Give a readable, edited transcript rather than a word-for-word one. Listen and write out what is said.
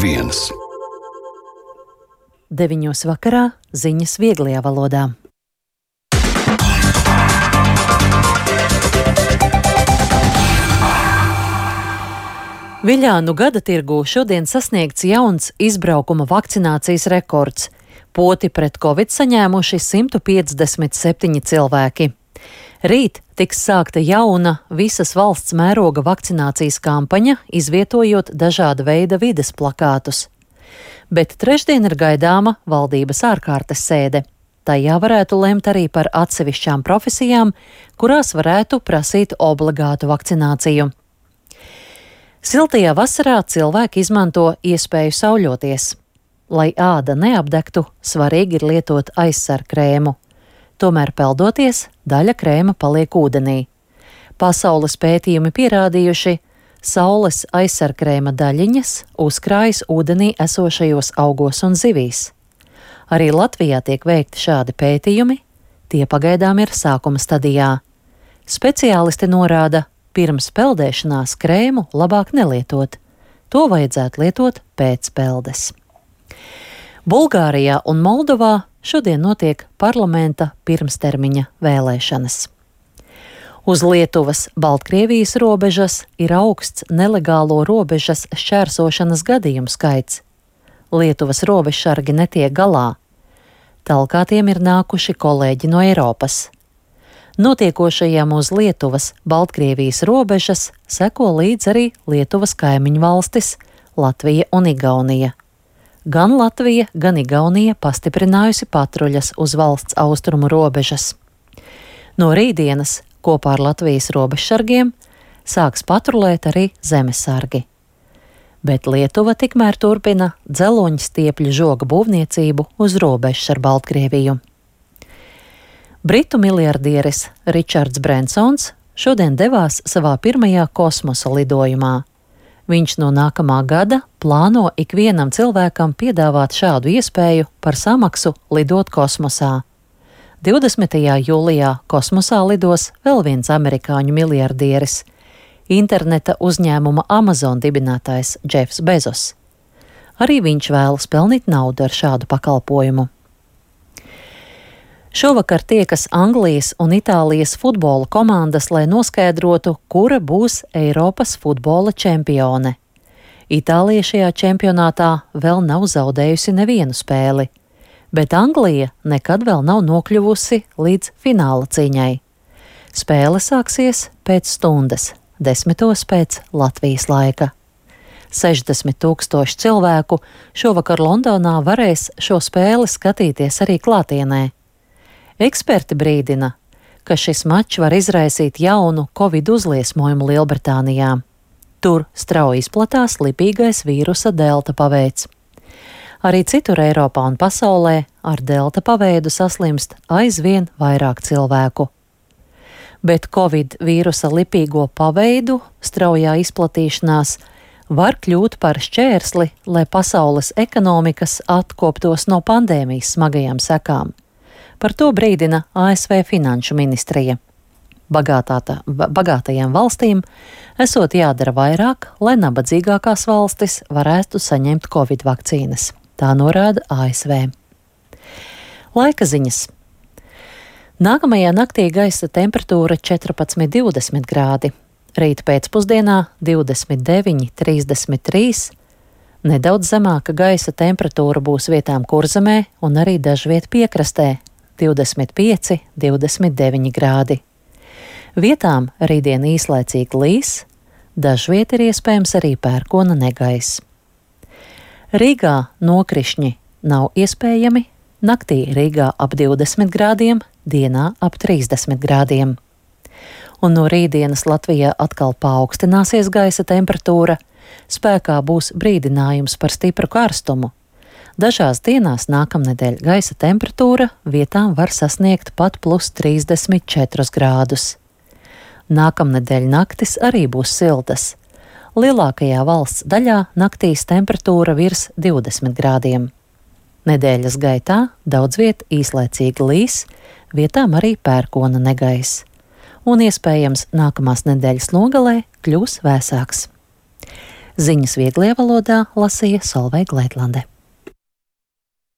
viens. 9 vakarā ziņas vieglajā valodā. Viļānu gada tirgū šodien sasniegts jauns izbraukuma vakcinācijas rekords. Poti pret covid saņēmuši 157 cilvēki. Rīt tiks sākta jauna visas valsts mēroga vakcinācijas kampaņa, izvietojot dažāda veida vides plakātus. Bet trešdien ir gaidāma valdības ārkārtas sēde. Tajā varētu lemt arī par atsevišķām profesijām, kurās varētu prasīt obligātu vakcināciju. Siltajā vasarā cilvēki izmanto iespēju sauļoties. Lai āda neapdegtu, svarīgi ir lietot aizsargkrēmu. Tomēr peldoties, daļa krēma paliek ūdenī. Pasaules pētījumi pierādījuši, saules aizsargkrēma daļiņas uzkrājas ūdenī esošajos augos un zivīs. Arī Latvijā tiek veikti šādi pētījumi, tie pagaidām ir sākuma stadijā. Speciālisti norāda, pirms peldēšanās krēmu labāk nelietot. To vajadzētu lietot pēc peldes. Bulgārijā un Moldovā šodien notiek parlamenta pirmstermiņa vēlēšanas. Uz Lietuvas-Baltkrievijas robežas ir augsts nelegālo robežas šķērsošanas gadījumu skaits. Lietuvas robežsargi netiek galā. Talkā tiem ir nākuši kolēģi no Eiropas. Notiekošajam uz Lietuvas-Baltkrievijas robežas seko līdz arī Lietuvas kaimiņu valstis Latvija un Igaunija. Gan Latvija, gan Igaunija pastiprinājusi patruļas uz valsts austrumu robežas. No rītdienas kopā ar Latvijas robežsargiem sāks patrulēt arī zemesargi. Bet Lietuva tikmēr turpina dzeloņstiepļu žoga būvniecību uz robežas ar Baltkrieviju. Britu miljardieris Ričards Brensons šodien devās savā pirmajā kosmosa lidojumā. Viņš no nākamā gada plāno ikvienam cilvēkam piedāvāt šādu iespēju par samaksu lidot kosmosā. 20. jūlijā kosmosā lidos vēl viens amerikāņu miljardieris – interneta uzņēmuma Amazon dibinātājs Jeffs Bezos. Arī viņš vēlas pelnīt naudu ar šādu pakalpojumu. Šovakar tiekas Anglijas un Itālijas futbola komandas, lai noskaidrotu, kura būs Eiropas futbola čempione. Itālija šajā čempionātā vēl nav zaudējusi nevienu spēli, bet Anglija nekad vēl nav nokļuvusi līdz fināla cīņai. Spēle sāksies pēc stundas, 10 pēc Latvijas laika. 60,000 cilvēku šovakar Londonā varēs šo spēli skatīties arī klātienē. Eksperti brīdina, ka šis mačs var izraisīt jaunu covid uzliesmojumu Lielbritānijā. Tur strauji izplatās lipīgais vīrusa delta paveids. Arī citur Eiropā un pasaulē ar delta paveidu saslimst aizvien vairāk cilvēku. Bet covid vīrusa lipīgo paveidu straujā izplatīšanās var kļūt par šķērsli, lai pasaules ekonomikas atkoptos no pandēmijas smagajām sekām. Par to brīdina ASV finanšu ministrija. Bagātajām valstīm esot jādara vairāk, lai nabadzīgākās valstis varētu saņemt covid vakcīnas. Tā norāda ASV. Laika ziņas. Nākamajā naktī gaisa temperatūra 14–20 grādi. Rīt pēcpusdienā 29–33. Nedaudz zemāka gaisa temperatūra būs vietām Kurzemē un arī dažviet piekrastē. 25–29 grādi. Vietām rītdien īslaicīgi līs, dažviet ir iespējams arī pērkona negaiss. Rīgā nokrišņi nav iespējami, naktī Rīgā ap 20 grādiem, dienā ap 30 grādiem. Un no rītdienas Latvijā atkal paaugstināsies gaisa temperatūra, spēkā būs brīdinājums par stipru karstumu. Dažās dienās nākamnedēļ gaisa temperatūra vietām var sasniegt pat plus 34 grādus. Nākamnedēļ naktis arī būs siltas. Lielākajā valsts daļā naktīs temperatūra virs 20 grādiem. Nedēļas gaitā daudz viet īslaicīgi līs, vietām arī pērkona negaiss. Un iespējams nākamās nedēļas nogalē kļūs vēsāks. Ziņas vieglajā valodā lasīja Solveiga Leitlande.